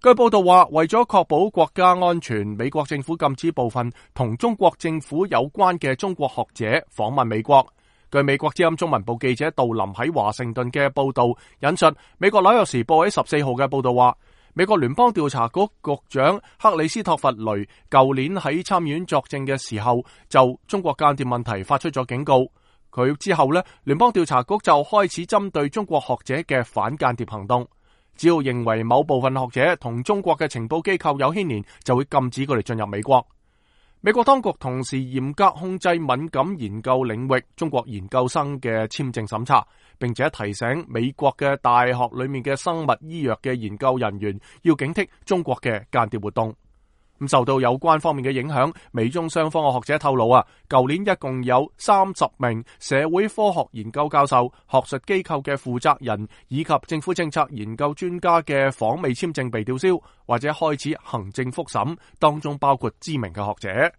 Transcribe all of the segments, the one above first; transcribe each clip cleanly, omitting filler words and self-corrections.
據報道話，為咗確保國家安全，美國政府禁止部分同中國政府有關嘅中國學者訪問美國。據美國之音中文部記者杜林喺華盛頓嘅報道引述美國紐約時報喺14號嘅報道話，美國聯邦調查局局長克里斯托弗雷舊年喺參議院作證嘅時候就中國間諜問題發出咗警告。佢之後呢，聯邦調查局就開始針對中國學者嘅反間諜行動。只要認為某部分學者同中國嘅情報機構有牽連，就會禁止佢哋進入美國。美國當局同時嚴格控制敏感研究領域中國研究生嘅簽證審查，並且提醒美國嘅大學裏面嘅生物醫藥嘅研究人員要警惕中國嘅間諜活動。受到有關方面嘅影響，美中雙方嘅學者透露舊年一共有30名社會科學研究教授、學術機構嘅負責人以及政府政策研究專家嘅訪美簽證被吊銷或者開始行政復審，當中包括知名嘅學者。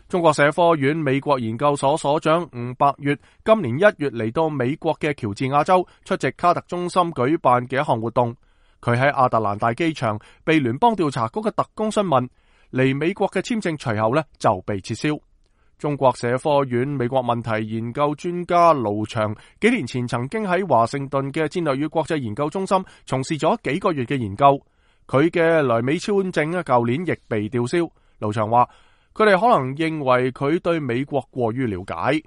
中國社科院美國研究所所長吳伯月今年1月嚟到美國嘅喬治亞州出席卡特中心舉辦嘅一項活動，佢喺亞特蘭大機場被聯邦調查局嘅特工詢問，嚟美國嘅簽證隨後呢就被撤銷。中國社科院美國問題研究專家盧翔幾年前曾經喺華盛頓嘅戰略與國際研究中心從事咗幾個月嘅研究，佢嘅來美簽證舊年亦被吊銷。盧翔話佢哋可能認為佢對美國過於了解。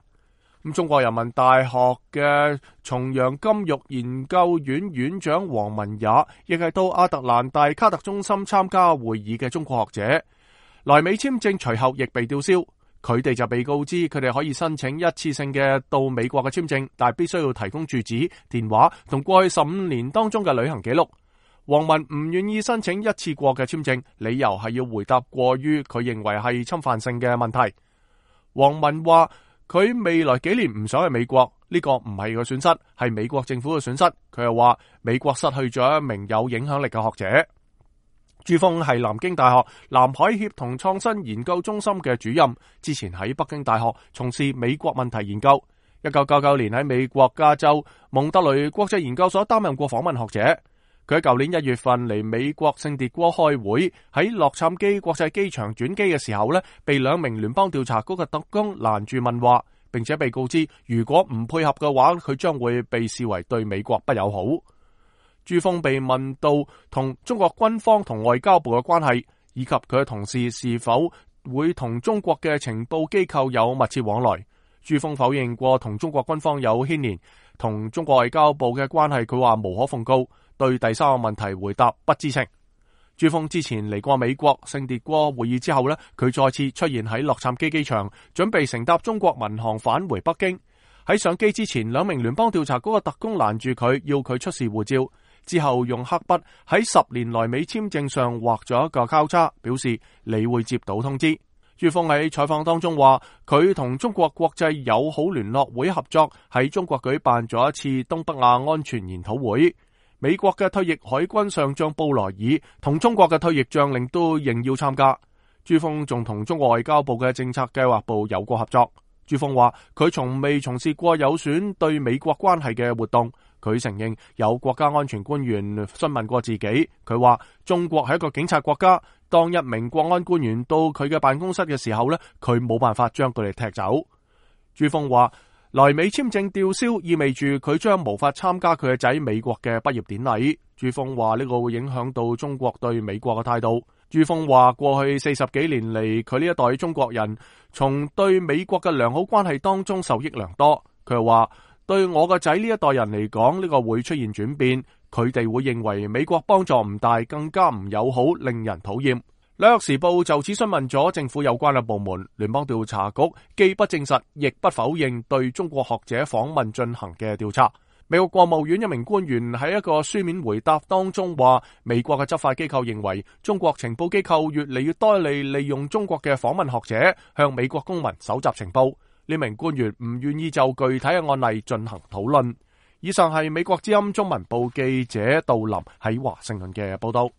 中國人民大學嘅重陽金育研究院院長王文也亦係到亞特蘭大卡特中心參加會議嘅中國學者，來美簽證隨後亦被吊銷。佢哋就被告知佢哋可以申請一次性嘅到美國嘅簽證，但係必須要提供住址、電話同過去15年當中嘅旅行記錄。王文唔願意申請一次過嘅簽證，理由係要回答過於佢認為係侵犯性嘅問題。王文話佢未來幾年唔想去美國，呢個唔係個損失，係美國政府嘅損失。佢又話美國失去咗一名有影響力嘅學者。朱峰係南京大學南海協同創新研究中心嘅主任，之前喺北京大學從事美國問題研究。1999年喺美國加州蒙特雷國際研究所擔任過訪問學者。佢喺舊年1月份嚟美國聖迭戈開會，喺洛杉磯國際機場轉機嘅時候呢，被2名聯邦調查局嘅特工攔住問話，並且被告知如果唔配合嘅話，佢將會被視為對美國不友好。朱峰被問到同中國軍方同外交部嘅關係，以及佢嘅同事是否會同中國嘅情報機構有密切往來，朱峰否認過同中國軍方有牽連，同中國外交部嘅關係佢話無可奉告。對第3個問題回答不知情。朱峰之前嚟過美國聖迭戈會議之後呢，佢再次出現喺洛杉磯機場，準備乘搭中國民航返回北京。喺上機之前，2名聯邦調查局嘅特工攔住佢，要佢出示護照，之後用黑筆喺10年來美簽證上畫咗一個交叉，表示你會接到通知。朱峰喺採訪當中話，佢同中國國際友好聯絡會合作，喺中國舉辦咗一次東北亞安全研討會。美國嘅退役海軍上將布萊爾同中國嘅退役將領都應邀參加。朱峰仲同中國外交部嘅政策計劃部有過合作。朱峰話佢從未從事過有損對美國關係嘅活動。佢承認有國家安全官員詢問過自己，佢話中國係一個警察國家，當一名國安官員到佢嘅辦公室嘅時候呢，佢冇辦法將佢哋踢走。朱峰話來美簽證吊銷意味住佢將無法參加佢嘅仔美國嘅畢業典禮。朱峰話呢個會影響到中國對美國嘅態度。朱峰話過去40幾年嚟，佢呢一代中國人從對美國嘅良好關係當中受益良多。佢又話對我個仔呢一代人嚟講，呢個會出現轉變，佢哋會認為美國幫助唔大，更加唔友好，令人討厭。紐約時報就此詢問咗政府有關嘅部門，聯邦調查局既不證實，亦不否認對中國學者訪問進行嘅調查。美國國務院一名官員喺一個書面回答當中話，美國嘅執法機構認為中國情報機構越嚟越多地利用中國嘅訪問學者向美國公民搜集情報。呢名官員唔願意就具體嘅案例進行討論。以上係美國之音中文部記者杜林喺華盛頓嘅報道。